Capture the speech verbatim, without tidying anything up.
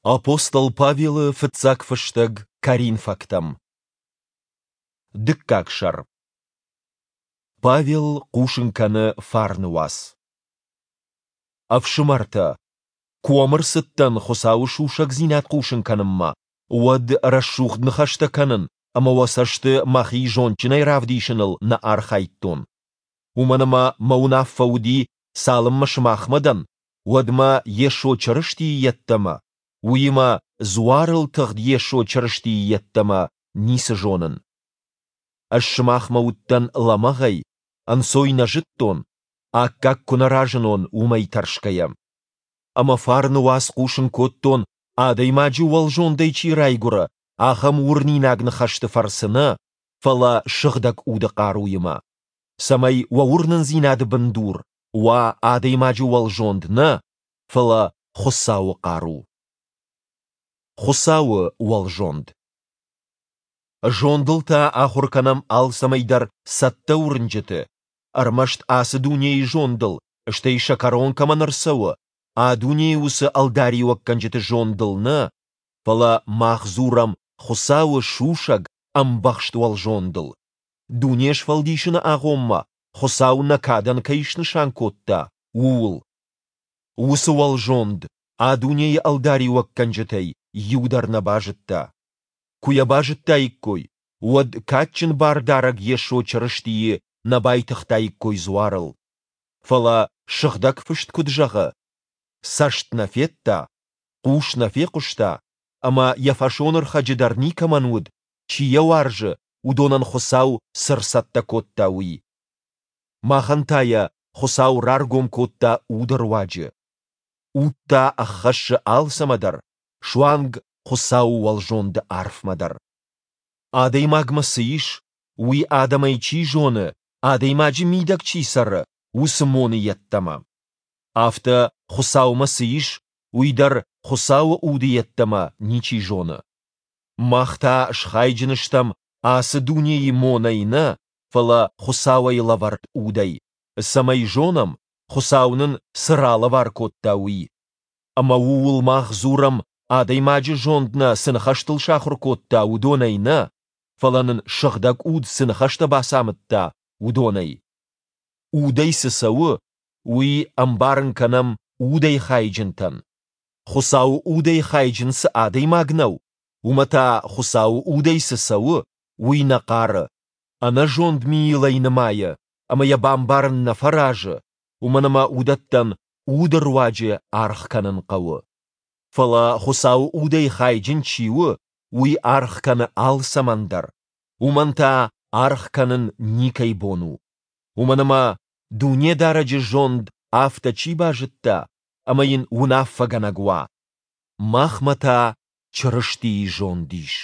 Апостол Павелы фыццаг фыстӕг Коринфӕгтӕм. Дыккаг сӕр. Павел хъусын кӕны фарны уац. Ӕфсымӕртӕ, куы уӕм ӕрцыдтӕн Хуыцауы сусӕгдзинад хъусын кӕнынмӕ, уӕд рӕсугъд ныхӕстӕ кӕнын ӕмӕ уӕ цӕсты мӕхи зондджынӕй равдисыныл нӕ архайдтон. Уымӕн ӕмӕ мӕ уынаффӕ уыди, цалынмӕ сымахмӕ дӕн, уӕдмӕ Йесо Чырыстийы йеддӕмӕ, уыимӕ дзуарыл тыгъд Йесо Чырыстийы йеддӕмӕ, ницы зонын. Ӕз сымахмӕ уыдтӕн лӕмӕгъӕй, ӕнцой нӕ зыдтон, аккаг куы нӕ разынон, уымӕй тӕрсгӕйӕ. Ӕмӕ фарны уац хъусын кодтон, адӕймаджы уӕлзондӕй чи райгуыры, ахӕм уырнинаг ныхӕсты фӕрцы нӕ, фӕлӕ Сыгъдӕг Уды хъаруимӕ, цӕмӕй уӕ уырнындзинады бындур уа адӕймаджы уӕлзонд нӕ, фӕлӕ Хуыцауы хъару. Хуыцауы уӕлзонд. Зондыл та ахуыр кӕнӕм алцӕмӕй дӕр цӕттӕ уырнджыты, ӕрмӕст ацы дунейы зондыл, стӕй сӕ кӕрон кӕмӕн ӕрцӕуы, а дунейы уыцы ӕлдариуӕггӕнджыты зондыл нӕ, фӕлӕ мах дзурӕм Хуыцауы сусӕг, ӕмбӕхст уӕлзондыл, дуне сфӕлдисыны агъоммӕ Хуыцау нӕ кадӕн кӕй снысан кодта, ууыл. Уыцы уӕлзонд а дунейы ӕлдариуӕггӕнджытӕй иу дӕр нӕ базыдта. Куы йӕ базыдтаиккой, уӕд кадджын Бардарӕг Йесо Чырыстийы нӕ байтыгътаиккой дзуарыл. Фӕлӕ Сыгъдӕг Фыст куыд зӕгъы, цӕст нӕ федта, хъус нӕ фехъуыста, ӕмӕ йӕ фӕсонӕрхӕджы дӕр никӕмӕн уыд, чи йӕ уарзы, уыдонӕн Хуыцау цы рцӕттӕ кодта, уый. Махӕн та йӕ Хуыцау раргом кодта Уды руаджы. Уд та ӕххӕссы алцӕмӕ дӕр, суанг Хуыцауы уӕлзонды арфмӕ дӕр. Адӕймагмӕ цы ис, уый адӕмӕй чи зоны, адӕймаджы мидӕг чи цӕры, уыцы моны йеддӕмӕ. Афтӕ, Хуыцаумӕ цы ис, уый дӕр Хуыцауы Уды йеддӕмӕ ничи зоны. Мах та схайджын стӕм ацы дунейы монӕй нӕ, фӕлӕ Хуыцауӕй лӕвӕрд Удӕй, цӕмӕй зонӕм, Хуыцау нын цы ралӕвар кодта, уый. Ӕмӕ ууыл мах дзурӕм, адӕймаджы зонд нӕ цы ныхӕстыл сахуыр кодта, уыдонӕй нӕ, фӕлӕ нын Сыгъдӕг Уд цы ныхӕстӕ бацамыдта, уыдонӕй. Удӕй цы цӕуы, уый ӕмбарын кӕнӕм удӕй хайджынтӕн. Хуыцауы Удӕй хайджын цы адӕймаг нӕу, уымӕ та Хуыцауы Удӕй цы цӕуы, уый нӕ хъары, ӕнӕзонд мийыл ӕй нымайы ӕмӕ йӕ бамбарын нӕ фӕразы, уымӕн ӕмӕ уыдӕттӕн Уды руаджы аргъ кӕнын хъӕуы. Фӕлӕ Хуыцауы Удӕй хайджын чи у, уый аргъ кӕны алцӕмӕн дӕр, уымӕн та аргъ кӕнын никӕй бон у. Уымӕн ӕмӕ Дунедарӕджы зонд афтӕ чи базыдта, ӕмӕ йын уынаффӕгӕнӕг уа? Махмӕ та Чырыстийы зонд ис.